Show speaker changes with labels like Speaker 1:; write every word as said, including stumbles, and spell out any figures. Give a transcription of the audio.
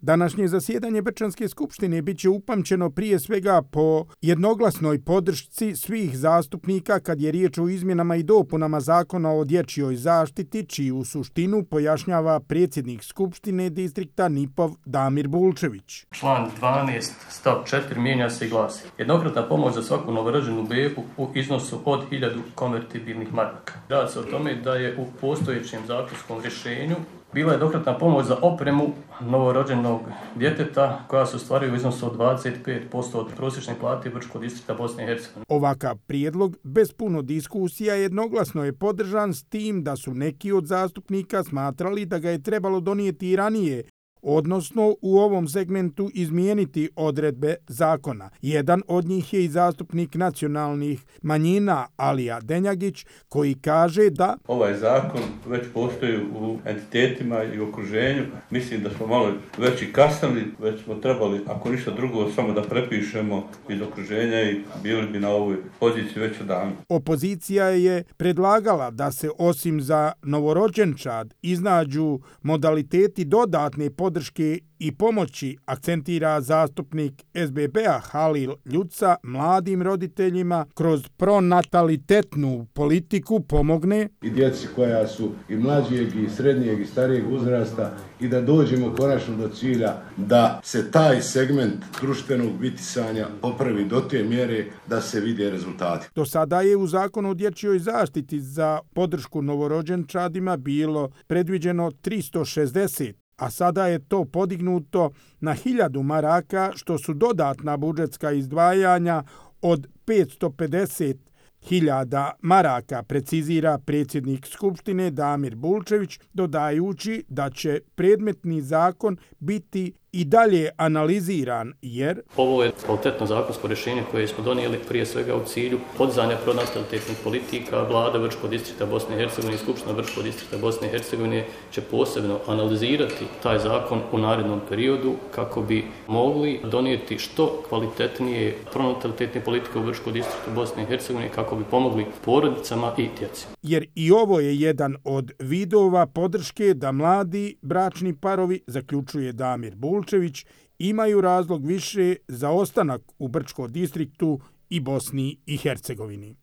Speaker 1: Današnje zasjedanje Brčanske skupštine bit će upamćeno prije svega po jednoglasnoj podršci svih zastupnika kad je riječ o izmjenama i dopunama Zakona o dječjoj zaštiti, čiju suštinu pojašnjava predsjednik Skupštine distrikta Nipov Damir Bulčević.
Speaker 2: Član dvanaest stav četiri mijenja se i glasi: jednokratna pomoć za svaku novorođenu bebu u iznosu od hiljadu konvertibilnih maraka. Radi se o tome da je u postojećem zakonskom rješenju bila jednokratna pomoć za opremu novorođenog djeteta koja se ostvaruje u iznosu od dvadeset pet posto od prosječne plate Brčkog distrikta Bosne i Hercegovine.
Speaker 1: Ovakav prijedlog bez puno diskusija jednoglasno je podržan, s tim da su neki od zastupnika smatrali da ga je trebalo donijeti i ranije, odnosno u ovom segmentu izmijeniti odredbe zakona. Jedan od njih je i zastupnik nacionalnih manjina Alija Denjagić, koji kaže da
Speaker 3: ovaj zakon već postoji u entitetima i okruženju. Mislim da smo malo već i kasnili, već smo trebali, ako ništa drugo, samo da prepišemo iz okruženja i bili bi na ovoj poziciji već odavno.
Speaker 1: Opozicija je predlagala da se osim za novorođenčad iznađu modaliteti dodatne podrške podrške i pomoći, akcentira zastupnik S B B-a Halil Ljuca, mladim roditeljima kroz pronatalitetnu politiku pomogne
Speaker 4: i djeci koja su i mlađijeg i srednjeg i starijeg uzrasta i da dođemo konačno do cilja da se taj segment društvenog bitisanja popravi do te mjere da se vide rezultati.
Speaker 1: Do sada je u Zakonu o dječjoj zaštiti za podršku novorođenčadima bilo predviđeno tristo šezdeset, a sada je to podignuto na hiljadu maraka, što su dodatna budžetska izdvajanja od petsto pedeset hiljada maraka, precizira predsjednik Skupštine Damir Bulčević, dodajući da će predmetni zakon biti i dalje analiziran, jer
Speaker 2: ovo je kvalitetno zakonsko rješenje koje smo donijeli prije svega u cilju podizanja pronatalitetnih politika. Vlada Brčkog distrikta Bosne i Hercegovine i Skupština Brčkog distrikta Bosne i Hercegovine će posebno analizirati taj zakon u narednom periodu kako bi mogli donijeti što kvalitetnije pronatalitetne politike u Brčkog distriktu Bosne i Hercegovine kako bi pomogli porodicama i djeci.
Speaker 1: Jer i ovo je jedan od vidova podrške da mladi bračni parovi, zaključuje Damir Bulčević, imaju razlog više za ostanak u Brčkom distriktu i Bosni i Hercegovini.